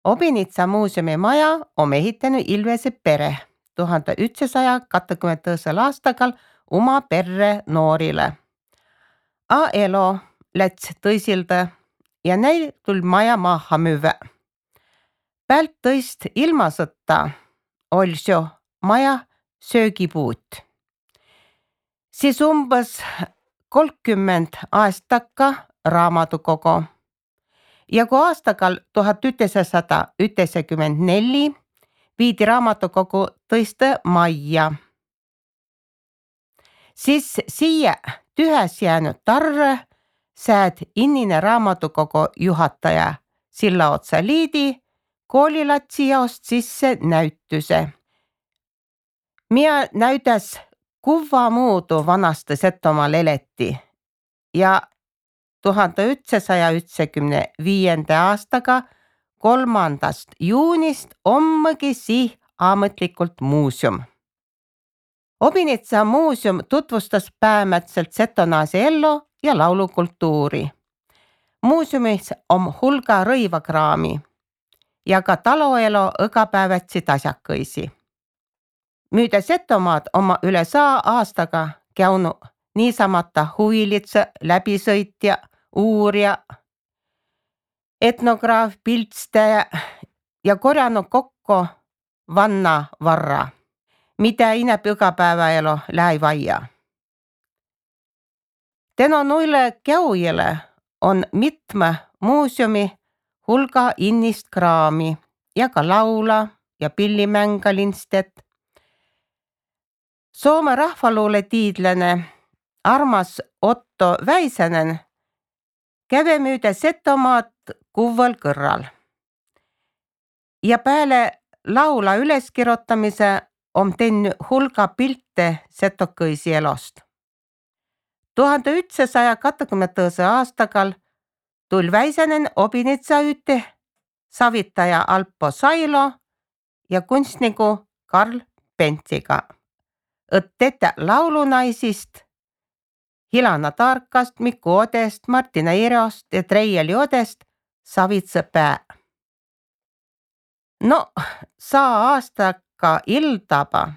Obinitsa muuseumi maja on ehitanud Ilvese pere 1922. aastagal oma perre noorile. A elo läts tõisilda ja neil tuli maja maha müüa. Pält tõist ilmasõtta oli see maja söögipuut. Siis umbes 30 aastaka raamatukogu. Ja kui aastagal 1994 viidi raamatukogu tõiste majja, siis siia tühäs jäänud tarre sääd innine raamatukogu juhataja Sillaotsa Liidi koolilatsi jaost sisse näytuse, mida näytäs kuva muudu vanasti Setomaal eleti ja 1995. aastaga 3. juunist ommegi sih ametlikult muuseum. Obinitsa muuseum tutvustas päämätselt setonaasi ellu ja laulukultuuri. Muuseumis on hulga rõivakraami ja ka taloelo õgapäevatsi asjakõisi. Müüda Setomaad oma üle 100 aastaga käinud niisamata huvilitsa, läbisõitja, uurija, etnograaf, piltstaja ja korjanud kokku vanna varra, mida ineb igapäevaelu läivaia. Tänu noille käujile on mitme muuseumi hulga innist kraami ja ka laula ja pillimängalinstjat. Soome rahvaluule tiidlane armas Otto Väisänen käve müüda Setomaad kuval kõrral. Ja peale laula üleskirjutamise on teinud hulga pilte setokõisi elost. 1920. aastagal tuli Väisänen Obinitsa üte savitaja Alpo Sailo ja kunstniku Karl Pentsiga, et tetä laulunaisist Hilana Tarkast, Mikko Odest, Martina Irost ja Treieli Odest savitse pää. No, 100 aastaka iltaba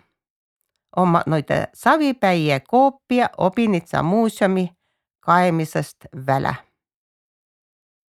oma noide savipäie koopia Obinitsa muuseumi kaemisest väle.